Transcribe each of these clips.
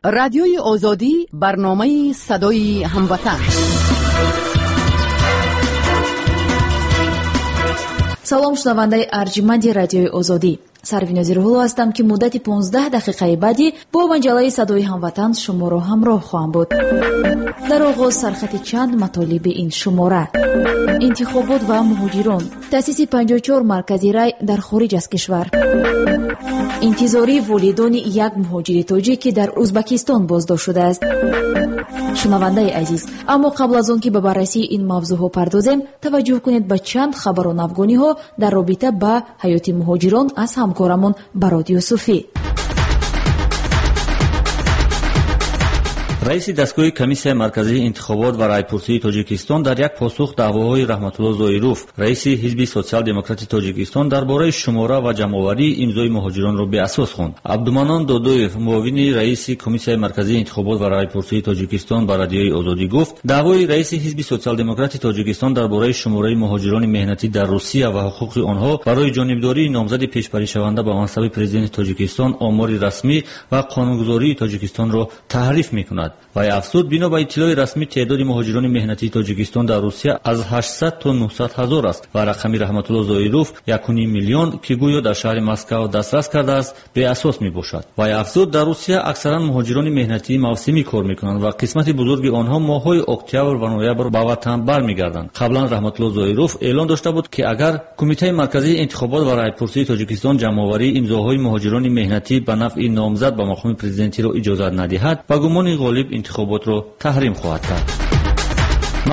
Радиои Озодӣ, барномаи садои ҳамватан. Салом, шунавандаи арҷманди Радиои Озодӣ. Сарвинози Рӯҳулло ҳастам, ки муддати 15 дақиқаи баъдӣ бо маҷаллаи садои ҳамватан шуморо ҳамроҳ хоҳам буд. Дар оғоз сархати чанд матолиби ин шумора: интихобот ва муҳоҷирон, таъсиси 54 маркази рай дар хориҷ аз кишвар, интизории волидони як муҳоҷири тоҷик, ки дар Узбакистон боздошт шудааст. Шунавандаи азиз, аммо қабл аз он ки ба баррасии ин мавзӯъҳо пардозем, таваҷҷӯҳ кунед ба чанд хабару навгониҳо дар робита ба ҳаёти муҳоҷирон аз ҳамкорамон Барод Юсуфӣ. Раиси дастгоҳи Комиссияи марказии интихобот ва райпурсии Тоҷикистон дар як посух даъвоҳои Раҳматулло Зоиров, раиси ҳизби Социал-демократи Тоҷикистон, дар бораи шумора ва ҷамъоварии имзои муҳоҷиронро беасос хонд. Абдуманон Додоев, муовини раиси Комиссияи марказии интихобот ва райпурсии Тоҷикистон, ба Радиои Озодӣ гуфт, даъвои раиси ҳизби Социал-демократи Тоҷикистон дар бораи шумораи муҳоҷирони меҳнатӣ дар Русия ва ҳуқуқи онҳо барои ҷонибдории номзади пешбаришаванда ба мансаби президенти Тоҷикистон омори расмӣ ва қонунгузории Тоҷикистонро таҳриф мекунад. Вай афзуд, бино ба иттилои расмӣ теъдоди муҳоҷирони меҳнатии Тоҷикистон дар Русия аз 800 то 900 ҳазор аст ва рақами Раҳматулло Зоиров 1,5 миллион, ки гӯё дар шаҳри Москав дастрас кардааст, беасос мебошад. Вай афзуд, дар Русия аксаран муҳоҷирони меҳнатии мавсимӣ кор мекунанд ва қисмати бузурги онҳо моҳҳои октябр ва ноябр ба ватан бармегарданд. Қаблан Раҳматулло Зоиров эълон дошта буд, ки агар Кумитаи марказии интихобот ва райпурсии Тоҷикистон ҷамъоварии имзоҳои муҳоҷирони меҳнатӣ ба нафъи номзад ба мақоми президентиро иҷозат надиҳад, ба гумони ғолиб интихоботро таҳрим хоҳад кард.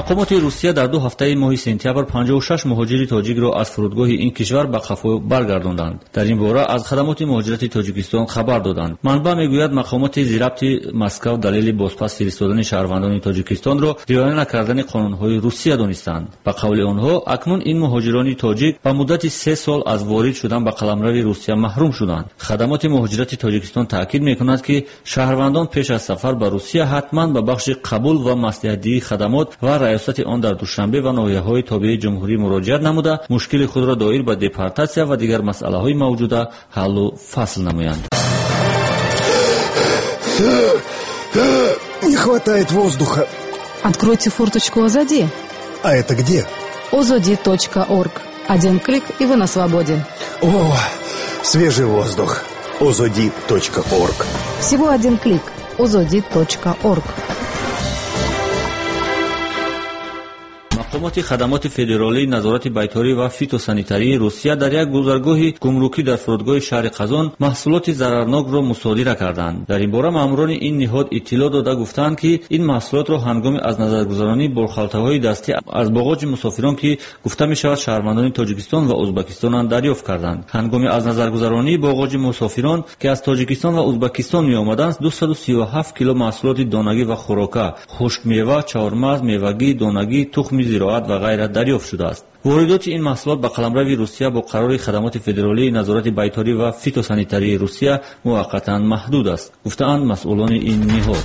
Мақомоти Русия дар 2 ҳафтаи моҳи сентябр 56 муҳоҷири тоҷикро аз фурудгоҳи ин кишвар ба қафо баргардонданд. Дар ин бора аз хадамоти муҳоҷирати Тоҷикистон хабар доданд. Манбаъ мегӯяд, мақомоти зирабти Москав далели бозпас фиристодани шаҳрвандони Тоҷикистонро риоя накардани қонунҳои Русия донистанд. Ба қавли онҳо, акнун ин муҳоҷирони тоҷик ба муддати 3 сол аз ворид шудан ба қаламрави Русия маҳрум шуданд. Хадамоти муҳоҷирати Тоҷикистон таъкид мекунад, ки шаҳрвандон пеш аз сафар ба Русия ҳатман ба бахши қабул ва маслиҳатдиҳии хадамот ва раёсати он дар Душанбе ва ноҳияҳои тобеи ҷумҳурӣ муроҷиат намуда, мушкили худро доир ба депортатсия ва дигар масъалаҳои мавҷуда ҳаллу фасл намоянд. Не хватает воздуха. Откройте форточку Озоди. А это где? Ozodi.org. Один клик, и вы на свободе. О, свежий воздух. Ozodi.org. Всего один клик. Ozodi.org. Мақомоти хадамоти федералии назорати байторӣ ва фитосанитарии Русия дар як гузаргоҳи гумрукӣ дар фурудгоҳи шаҳри Қазон маҳсулоти зарарнокро мусодира карданд. Дар ин бора маъмурони ин ниҳод иттилоъ дода гуфтанд, ки ин маҳсулотро ҳангоми аз назаргузаронии борхалтаҳои дастӣ аз боғоҷи мусофирон, ки гуфта мешавад шаҳрвандони Тоҷикистон ва Узбакистонанд, дарёфт карданд. Ҳангоми аз назаргузаронии боғоҷи мусофирон, ки аз Тоҷикистон ва Узбакистон меомаданд, 237 кило маҳсулоти донагӣ ва хӯрока, хушкмева, чормағз, мевагӣ, донагӣ, тухми зироат ва ғайра дарёфт шудааст. Воридоти ин маҳсулот ба қаламрави Русия бо қарори хадамоти федералии назорати байторӣ ва фитосанитарии Русия муваққатан маҳдуд аст, гуфтаанд масъулони ин ниҳод.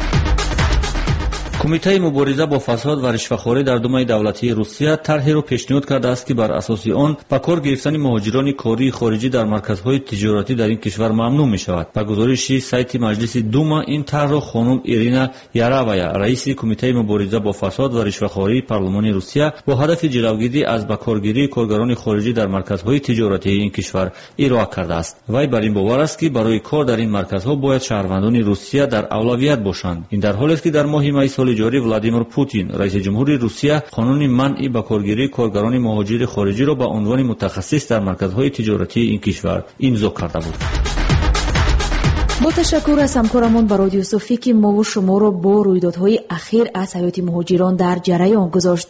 Кумитаи мубориза бо фасод ва ришвахорӣ дар Думаи давлатии Русия тарҳеро пешниҳод кардааст, ки бар асоси он ба кор гирифтани муҳоҷирони кории хориҷӣ дар марказҳои тиҷоратӣ дар ин кишвар мамнӯъ мешавад. Ба гузориши сайти Маҷлиси Дума, ин тарҳро хонум Ирина Яравая, раиси Кумитаи мубориза бо фасод ва ришвахории парлумони Русия, бо ҳадафи ҷилавгирӣ аз ба коргирии коргарони хориҷӣ дар марказҳои тиҷоратии ин кишвар ироа кардааст. Вай бар ин бовар аст, ки барои кор дар ин марказҳо бояд шаҳрвандони Русия дар авлавият бошанд. Ин дар ҳолест, ки дар моҳи майи соли ҷорӣ Владимир Путин, раиси ҷумҳури Русия, қонуни манъи ба коргирии коргарони муҳоҷири хориҷиро ба унвони мутахассис дар марказҳои тиҷоратии ин кишвар имзо карда буд. Бо ташаккур аз ҳамкорамон Барод Юсуфӣ, ки мову шуморо бо рӯйдодҳои ахир аз ҳаёти муҳоҷирон дар ҷараён гузошт.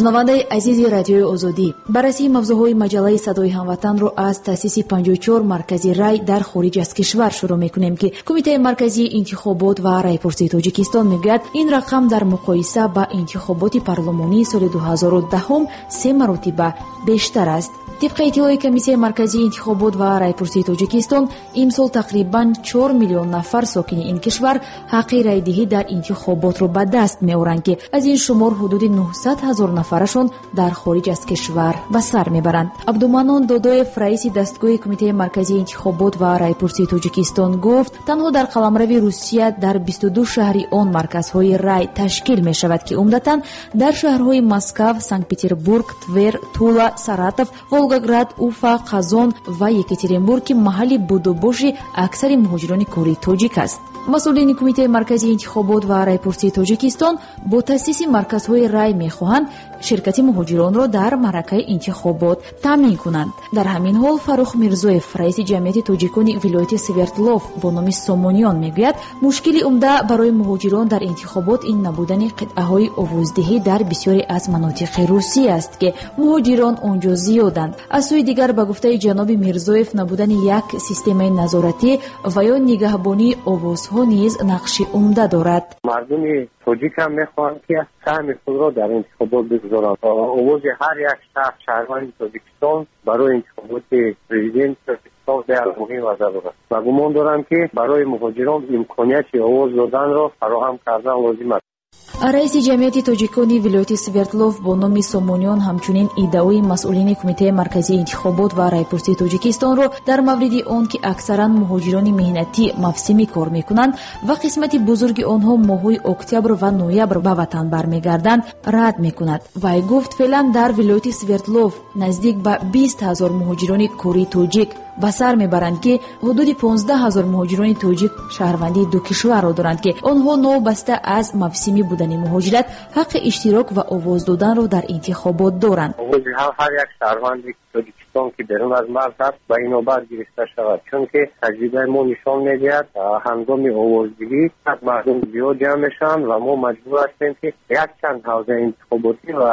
Шунавандаи азизи Радиои Озодӣ, баррасии мавзӯъҳои маҷаллаи садои ҳамватанро аз таъсиси 54 маркази рай дар хориҷ аз кишвар шурӯъ мекунем, ки Кумитаи марказии интихобот ва райпурсии Тоҷикистон мегӯяд, ин рақам дар муқоиса ба интихоботи парлумонии соли 2010 се маротиба бештар аст. Тибқи иттилои Комиссияи марказии интихобот ва райпурсии Тоҷикистон, имсол тақрибан 4 миллион нафар сокини ин кишвар ҳаққи райдиҳӣ дар интихоботро ба даст меоранд, ки аз ин шумор ҳудуди 900 ҳазор нафарашон дар хориҷ аз кишвар ба сар мебаранд. Абдуманнон Додоев, раиси дастгоҳи Кумитаи марказии интихобот ва райпурсии Тоҷикистон, гуфт, танҳо дар қаламрави Русия дар 22 шаҳри он марказҳои рай ташкил мешавад, ки умдатан дар шаҳрҳои Москав, Санкт-Петербург, Твер, Тула, Саратов, Волгоград, Уфа, Қазон ва Екатеринбург, ки маҳалли будубоши аксари муҳоҷирони кории тоҷик аст. Масъулини Кумитаи марказии интихобот ва райпурсии Тоҷикистон бо таъсиси марказҳои рай мехоҳанд ширкати муҳоҷиронро дар маъракаи интихобот таъмин кунанд. Дар ҳамин ҳол Фаррух Мирзоев, раиси ҷамъияти тоҷикони вилояти Свердлов бо номи Сомониён, мегӯяд, мушкили умда барои муҳоҷирон дар интихобот ин набудани қитъаҳои овоздиҳӣ дар бисёре аз манотиқи Русия аст, ки муҳоҷирон он ҷо зиёданд. Аз сӯи дигар, ба гуфтаи ҷаноби Мирзоев, набудани як системаи назоратӣ ва ё нигаҳбонии овозҳо низ нақши умда дорад. Мардуми тоҷик ҳам мехоҳанд, ки саҳми худро дар интихобот бигузоранд. Овози ҳар як шахс, шаҳрванди Тоҷикистон, барои интихоботи президенти Тоҷикистон беҳад муҳим ва зарур аст ва гумон дорам, ки барои муҳоҷирон имконияти овоз доданро фароҳам кардан лозим аст. Раиси ҷамъияти тоҷикони вилояти Свердлов бо номи Сомониён ҳамчунин иддаои масъулини Кумитаи марказии интихобот ва райпурсии Тоҷикистонро дар мавриди он, ки аксаран муҳоҷирони меҳнатӣ мавсимӣ кор мекунанд ва қисмати бузурги онҳо моҳҳои октябр ва ноябр ба ватан бармегарданд, рад мекунад. Вай гуфт, феълан дар вилояти Свердлов наздик ба 20 ҳазор муҳоҷирони кории тоҷик ба сар мебаранд, ки ҳудуди 15 ҳазор муҳоҷирони тоҷик шаҳрвандии ду кишварро доранд, ки онҳо новобаста аз мавсимӣ будани муҳоҷират ҳаққи иштирок ва овоз доданро дар интихобот доранд. Овози ҳар як шаҳрванди Тоҷикистон, ки берун аз марз аст, ба инобат гирифта шавад, чунки таҷрибаи мо нишон медиҳад, ҳангоми овоздиҳӣ мардум зиёд ҷамъ мешаванд ва мо маҷбур ҳастем, ки якчанд ҳавзаи интихоботӣ ва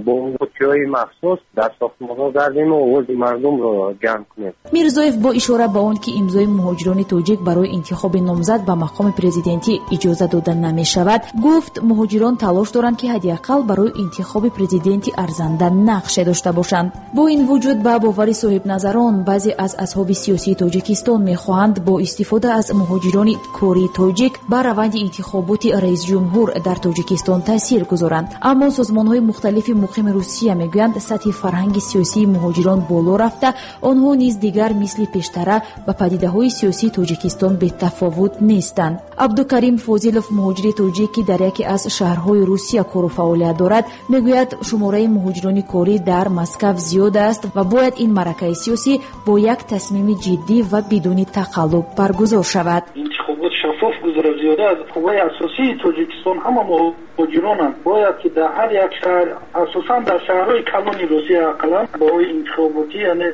бо қуттиҳои махсус дар сохтмонҳо гардем ва овози мардумро ҷамъ кунем. Мирзоев бо ишора ба он, ки имзои муҳоҷирони тоҷик барои интихоби номзад ба мақоми президентӣ иҷоза дода намешавад, гуфт, муҳоҷирон талош доранд, ки ҳадди ақал барои интихоби президенти арзанда нақше дошта бошанд. Бо ин вуҷуд, ба бовари соҳибназарон, баъзе аз асҳоби сиёсии Тоҷикистон мехоҳанд бо истифода аз муҳоҷирони кории тоҷик ба раванди интихоботи раисҷумҳур дар Тоҷикистон таъсир гузоранд. Аммо созмонҳои мухталифи муқими Русия мегӯянд, сатҳи фарҳанги сиёсии муҳоҷирон боло рафта, онҳо низ дигар мисли пештара ба падидаҳои сиёсии Тоҷикистон бетафовут нестанд. Абдукарим Фозилов, муҳоҷири тоҷик, ки дар яке аз шаҳрҳои Русия кору фаъолият дорад, мегӯяд, шумораи муҳоҷирони корӣ дар Москав зиёд аст ва бояд ин маъракаи сиёсӣ бо як тасмими ҷиддӣ ва бидуни тақаллуб баргузор шавад. Интихобот шаффоф гузарад. Зиёда аз қувваи асосии Тоҷикистон ҳама муҳоҷиронанд. Бояд ки дар ҳар як шаҳр, асосан дар шаҳрҳои калони Русия, ақаллан барои интихоботӣ, яъне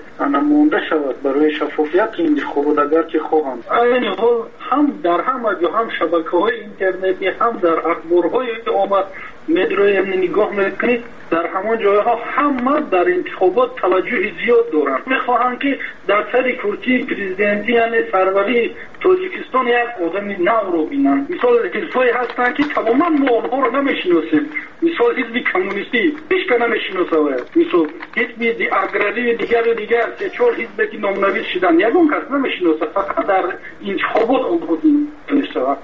монда шавад барои шаффофияти интихобот, агар ки хоҳанд. Айни ҳол ҳам дар ҳама ҷо, ҳам шабакаҳои интернетӣ, ҳам дар ахборҳои омма медроем, нигоҳ мекунед, дар ҳамон ҷойҳо ҳама дар интихобот таваҷҷӯҳи зиёд доранд. Мехоҳанд, ки дар сари курсии президентӣ, яъне сарварии Тоҷикистон, як одами навро бинанд. Мисол, ҳизбҳое ҳастанд, ки тамоман мо онҳоро намешиносем. Мисол, ҳизби коммунистӣ ҳечка намешиносад. Мисол, ҳизби аграрии дигару дигар, се чор ҳизбе ки номнавис шуданд, ягон кас намешиносад. Фақат дар интихобот онҳо мешавад,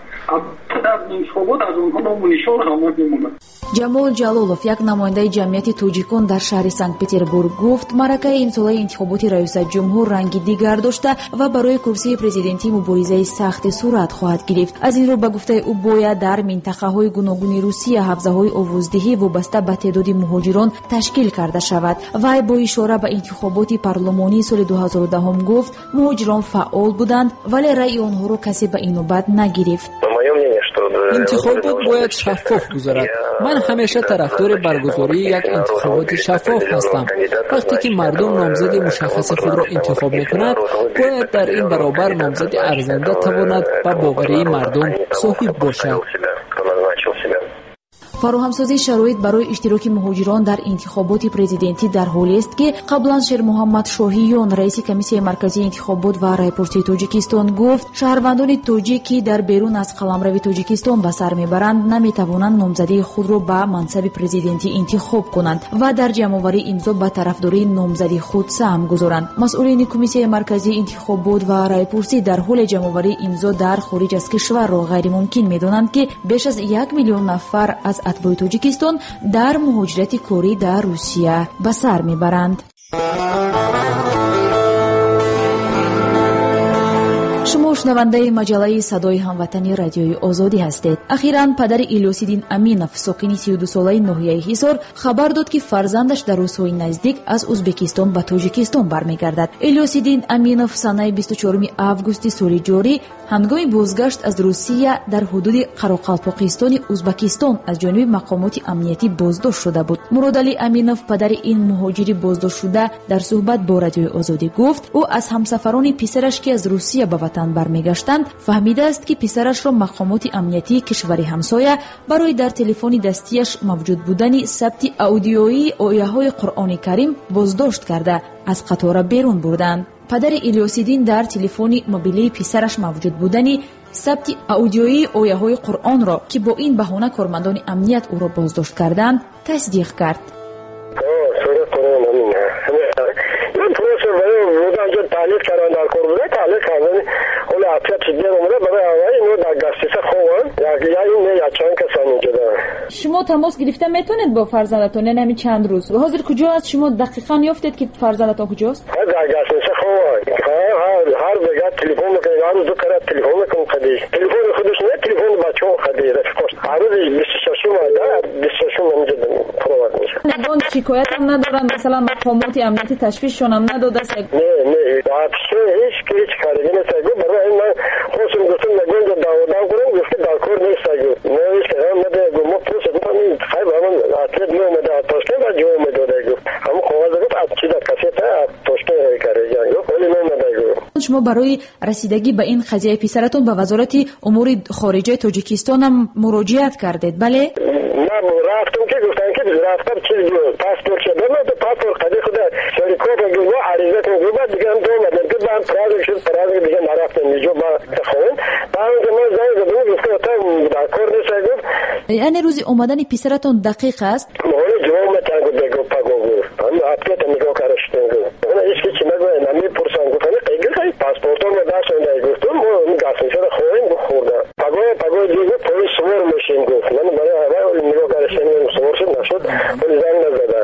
дар интихобот аз онҳо ному нишон ҳама мемонад. Ҷамол Ҷалолов, як намояндаи ҷамъияти тоҷикон дар шаҳри Санкт-Петербург, гуфт, маъракаи имсолаи интихоботи раёсатҷумҳур ранги дигар дошта ва барои курсии президентӣ муборизаи сахте сурат хоҳад гирифт. Аз ин рӯ, ба гуфтаи ӯ, бояд дар минтақаҳои гуногуни Русия ҳавзаҳои овоздиҳӣ вобаста ба теъдоди муҳоҷирон ташкил карда шавад. Вай бо ишора ба интихоботи парлумонии соли 2010 гуфт, муҳоҷирон фаъол буданд, вале раъи онҳоро касе ба инобат нагирифт. Интихобот бояд шаффоф гузарад. Ман ҳамеша тарафдори баргузории як интихоботи шаффоф ҳастам. Вақте ки мардум номзади мушаххаси худро интихоб мекунад, бояд дар ин баробар номзади арзанда тавонад ба боварии мардум соҳиб бошад. Фароҳамсозии шароит барои иштироки муҳоҷирон дар интихоботи президентӣ дар ҳолест, ки қаблан Шермуҳаммад Шоҳиён, раиси Комиссияи марказии интихобот ва райпурсии Тоҷикистон гуфт, шаҳрвандони тоҷик, ки дар берун аз қаламрави Тоҷикистон ба сар мебаранд, наметавонанд номзадии худро ба мансаби президентӣ интихоб кунанд ва дар ҷамъоварии имзо ба тарафдории номзади худ саҳм гузоранд. Масъулини Комиссияи марказии интихобот ва райпурсӣ дар ҳоли ҷамъоварии имзо дар хориҷ аз кишварро ғайримумкин медонанд, ки беш аз 1 миллион нафар аз атбои Тоҷикистон дар муҳоҷирати корӣ дар Русия ба сар мебаранд. Шумо шунавандаи маҷаллаи «Садои ҳамватани» Радиои Озодӣ ҳастед. Ахиран падари Илёсиддин Аминов, сокини 32-солаи ноҳияи Ҳисор, хабар дод, ки фарзандаш дар рӯзҳои наздик аз Узбекистон ба Тоҷикистон бармегардад. Илёсиддин Аминов санаи 24 августи соли ҷорӣ ҳангоми бозгашт аз Русия дар ҳудуди Қароқалпоқистони Узбекистон аз ҷониби мақомоти амниятӣ боздошт шуда буд. Муродалӣ Аминов, падари ин муҳоҷири боздоштшуда, дар суҳбат бо Радиои Озодӣ гуфт, ӯ аз ҳамсафарони писараш, ки аз Русия ба ватан бармегаштанд, фаҳмидааст, ки писарашро мақомоти амниятии кишвари ҳамсоя барои дар телефони дастияш мавҷуд будани сабти аудиоии ояҳои Қуръони Карим боздошт карда, аз қатора берун бурданд. Падари Илёсиддин дар телефони мобилии писараш мавҷуд будани сабти аудиоии ояҳои Қуръонро, ки бо ин баҳона кормандони амният ӯро боздошт карданд, тасдиқ кард. Таълиқ кардан дар кор буда, таълиқ кардан ҳоло ответ дер омада, барои аввал ино дар гастиса хованд, я чанд касан инҷо. Шумо тамос гирифта метавонед бо фарзандатон, яъне ҳамин чанд рӯз? Ҳозир куҷо аст? Шумо дақиқан ёфтед, ки фарзандатон куҷост? Дар гастиса хованд. Ҳар бега телефон мекунад, ҳар рӯз ду карат телефон мекунад, қади телефони худаш не, телефони бачаҳо қади рафиқош. Ҳар рӯзи 26-ум, 26-ум инҷо провод мешавад. Ягон шикоятам надоранд, масалан мақомоти амнияти ташвишшонам надодааст? Не, не, вообще ҳеҷ ҳеҷ карда нест. Барои ман хостам, гуфтам, ягон ҷо даъводав кунам, гуфт, ки дар кор нест. Мо ҳеҷ кардам надода. Мо просто гуфтам, хай ба ман ответ меомада аз Тошкент, ба ҷавоб медода. Гуфт, ҳамон коғаз, гуфт, аз чиза кассета аз Тошкент рой карда, гуфт, ҳоли наомада. Гуфт, шумо барои расидагӣ ба ин қазияи писаратон ба Вазорати умури хориҷаи Тоҷикистонам муроҷиат кардед, бале? Ман рафтам, ки гуфтам, ки рафтам, чиз паспорт шуда, паспорт қади худа копия гуфт, ариза кун, гуфт, дига ҳам омадам, ки баъд праздник шуд, праздник дига нарафтам иҷо ба хона. Баъд ман занг задам, гуфт, дар кор нест, гуфт. Яъне рӯзи омадани писаратон дақиқ аст? Ҳоло ҷавоб метиҳам, гуфт, бего паго, гуфт. Ҳамин ответа нигоҳ карда шудем, гуфт. Ҳеҷ ки чӣ нагӯяд, намепурсам, гуфт. Ҳамин паспортонро дастонда, гуфтум, мо гастинсада хоҳем, гуфт, хӯрда. Паго паго гуфт, поезд сувор мешем, гуфт. Ман барои аввал нигоҳ карда шудем, сувор шуд, нашуд, ҳоли занг назада.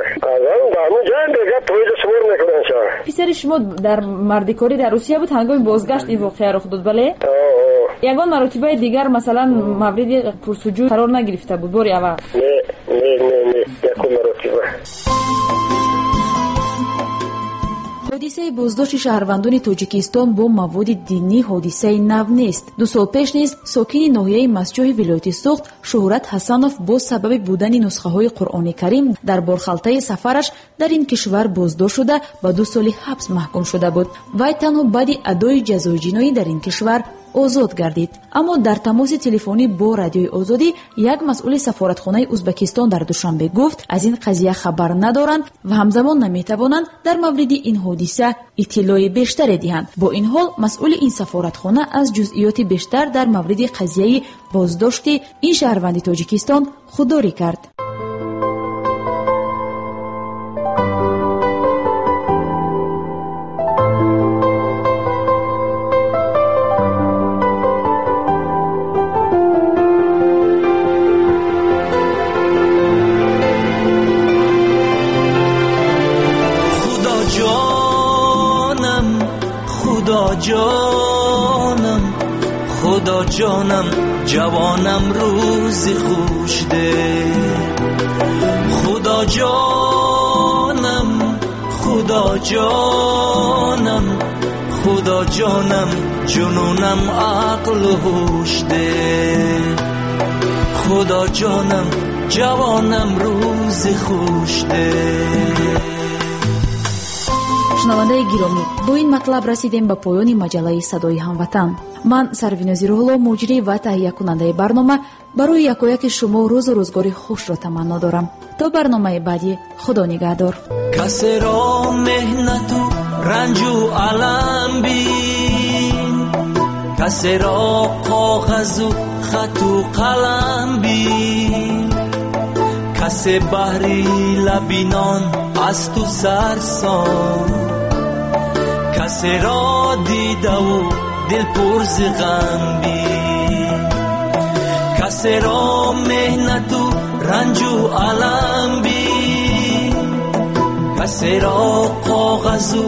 Ҳамон ҷоям бега поезд сувор мекунанд ша. Писари шумо дар мардикорӣ дар Русия буд, ҳангоми бозгашт ин воқеа рух дод, бале? Ягон маротибаи дигар, масалан, мавриди пурсуҷӯ қарор нагирифта буд бори аввал? Не, не, не, не, якум маротиба. Ҳодисаи боздошти шаҳрвандони Тоҷикистон бо маводи динӣ ҳодисаи нав нест. 2 сол пеш низ сокини ноҳияи Мастчоҳи вилояти Суғд Шуҳрат Ҳасанов бо сабаби будани нусхаҳои Қуръони Карим дар борхалтаи сафараш дар ин кишвар боздошт шуда, ба 2 соли ҳабс маҳкум шуда буд. Вай танҳо баъди адои ҷазои ҷиноӣ дар ин кишвар озод гардид. Аммо дар тамоси телефонӣ бо Радиои Озодӣ як масъули сафоратхонаи Узбекистон дар Душанбе гуфт, аз ин қазия хабар надоранд ва ҳамзамон наметавонанд дар мавриди ин ҳодиса иттилои бештаре диҳанд. Бо ин ҳол масъули ин сафоратхона аз ҷузъиёти бештар дар мавриди қазияи боздошти ин шаҳрванди Тоҷикистон худдорӣ кард. جانم خدا جانم جوانم روزی خوش ده، خدا جانم خدا جانم خدا جانم جنونم عقل و هوش ده، خدا جانم جوانم روزی خوش ده. Шунавандаи гиромӣ, бо ин матлаб расидем ба поёни маҷаллаи «Садои ҳамватан». Ман, Сарвинози Рӯҳулло, муҷрӣ ва таҳиякунандаи барнома, барои якояки шумо рӯзу рӯзгори хушро таманно дорам. То барномаи баъдӣ, Худо нигаҳдор. Касеро меҳнату ранҷу алам бин, касеро коғазу хату қалам бин, касе баҳри лабинон аз ту сарсон, касеро дидаву дил пур зи ғам бин, касеро меҳнату ранҷу алам бин, касеро коғазу